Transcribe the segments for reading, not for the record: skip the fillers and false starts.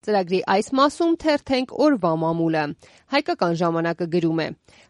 Ծրագրի այս մասում թերթենք օրվա մամուլը։ Հայկական ժամանակը գրում է.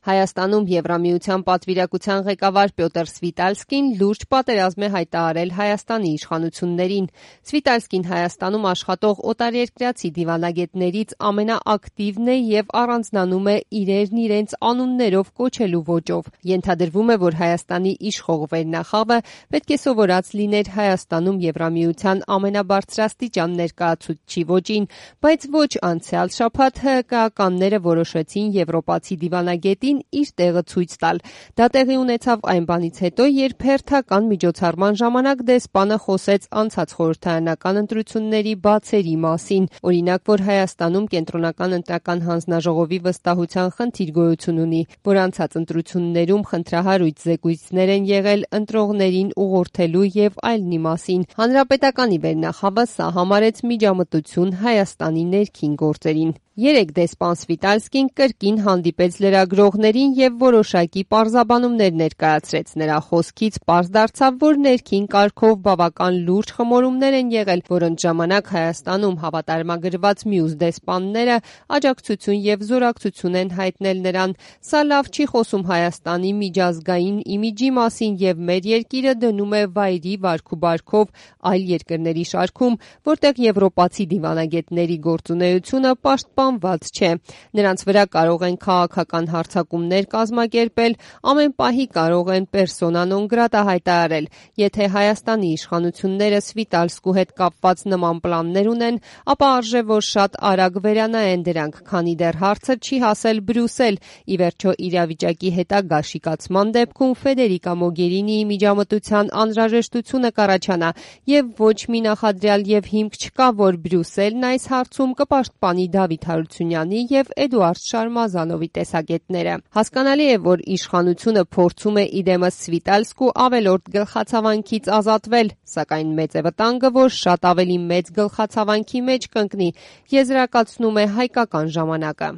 Հայաստանում Եվրամիության պատվիրակության ղեկավար Պյոտր Սվիտալսկին լուրջ պատերազմ է հայտարարել Հայաստանի իշխանություններին։ Սվիտալսկին Հայաստանում աշխատող օտարերկրացի դիվանագետներից ամենաակտիվն է եւ առանձնանում է իրերն իրենց անուններով կոչելու ոճով։ Ենթադրվում է, որ Հայաստանի իշխող վերնախավը պետք է սովորած լիներ Հայաստանում Եվրամիության ամենաբարձրաստիճան ներկայացուցչի ոճին, բայց ոչ անցյալ շաբաթ ՀԿ-ականները որոշեցին եվրոպացի դիվանագետին իր տեղը ցույց տալ։ Դա տեղի ունեցավ այն բանից հետո, երբ հերթական միջոցառման ժամանակ դեսպանը խոսեց անցած խորհրդարանական ընտրությունների բացերի մասին։ Օրինակ, որ Հայաստանում կենտրոնական ընտրական հանձնաժողովի վստահության խնդիր գոյություն ունի, որ անցած ընտրություններում խնդրահարույց զեկույցներ են եղել ընտրողներին ուղղորդելու եւ այլնի մասին։ Հանրապետականի վերնախավը սա համարեց միջամտություն Հայաստանի ներքին գործերին։ Երեկ դեսպան Սվիտալսկին կրկին հանդիպեց լրագրողներին եւ որոշակի պարզաբանումներ ներկայացրեց։ Նրա խոսքից պարզ դարձավ, որ ներքին կարգով բավական լուրջ խմորումներ են եղել, որոնց ժամանակ Հայաստանում հավատարմագրված մյուս դեսպանները աջակցություն եւ զորակցություն են հայտնել նրան։ Սա լավ չի խոսում Հայաստանի միջազգային իմիջի մասին եւ մեր երկիրը դնում է վայրի վարքուբարքով այլ երկրների շարքում, որտեղ եվրոպացի դիվանագետների գործունեությունը պաշտպանված չէ։ Նրանց վրա կարող են քաղաքական հարձակումներ կազմակերպել, ամեն պահի կարող են persona non grata հայտարարել։ Եթե Հայաստանի իշխանությունները Սվիտալսկու հետ կապված նման պլաններ ունեն, ապա արժե որ շատ արագ վերանայեն դրանք, քանի դեռ հարցը չի հասել Բրյուսել։ Ի վերջո իրավիճակի հետագա շիկացման դեպքում Ֆեդերիկա Մոգերինիի միջամտության անհրաժեշտությունը կառաջանա եւ ոչ մի նախադրյալ եւ հիմք չկա, որ Բրյուսելն այս հարցում կպաշտպանի Դավիթ Հարությունյանի եւ Էդուարդ Շարմազանովի տեսակետները։ Հասկանալի է, որ իշխանությունը փորձում է իդեմս Սվիտալսկու ավելորդ գլխացավանքից ազատվել, սակայն մեծ է վտանգը, որ շատ ավելի մեծ գլխացավանքի մեջ կընկնի, եզրակացնում է Հայկական ժամանակը։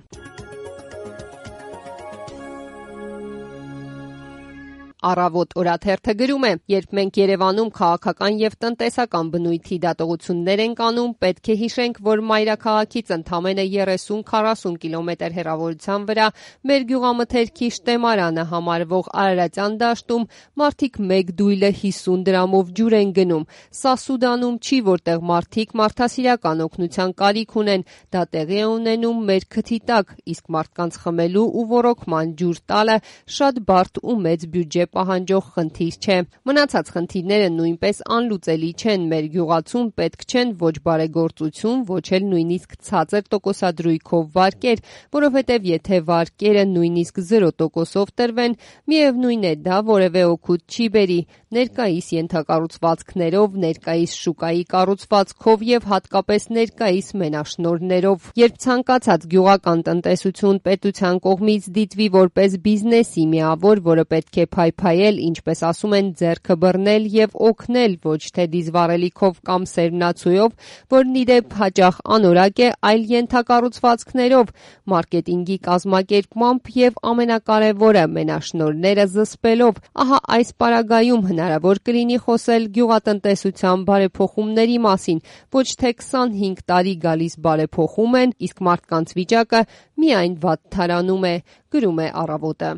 Առավոտ օրաթերթը գրում է. երբ մենք Երևանում քաղաքական եւ տնտեսական բնույթի դատողություններ ենք անում, պետք է հիշենք, որ մայրաքաղաքից ընդամենը 30-40 կիլոմետր հեռավորության վրա մեր գյուղամթերքի շտեմարանը համարվող Արարատյան դաշտում մարդիկ մեկ դույլը 50 դրամով ջուր են գնում։ Սա Սուդանում չի, որտեղ մարդիկ մարդասիրական օգնության կարիք ունեն, դա տեղի է ունենում մեր քթի տակ, իսկ մարդկանց խմելու ու ոռոգման ջուր տալը շատ բարդ ու մեծ բյուջե պահանջող խնդիր չէ։ Մնացած խնդիրները նույնպես անլուծելի չեն։ Մեր գյուղացում պետք չեն ոչ բարեգործություն, ոչ էլ նույնիսկ ցածր տոկոսադրույքով վարկեր, որովհետև եթե վարկերը նույնիսկ 0%-ով տրվեն, միևնույն է դա որևէ օգուտ չի բերի։ Ներկայիս ենթակառուցվածքներով, ներկայիս շուկայի կառուցվածքով եւ հատկապես ներկայիս մենաշնորհներով, երբ ցանկացած գյուղական տնտեսություն պետության կողմից դիտվի որպես բիզնեսի միավոր, որը պետք է փայփայել, ինչպես ասում են, ձեռքը բռնել եւ օգնել, ոչ թե դիզվառելիքով կամ սերմնացույով, որն ի դեպ հաճախ անորակ է, այլ ենթակառուցվածքներով, մարքեթինգի կազմակերպմամբ եւ ամենակարևորը մենաշնորհները զսպելով։ Ահա այս պարագայում հնարավոր կլինի խոսել գյուղատնտեսության բարեփոխումների մասին, ոչ թե 25 տարի գալիս բարեփոխում են, իսկ մարդկանց վիճակը միայն վատթարանում է, գրում է Առավոտը։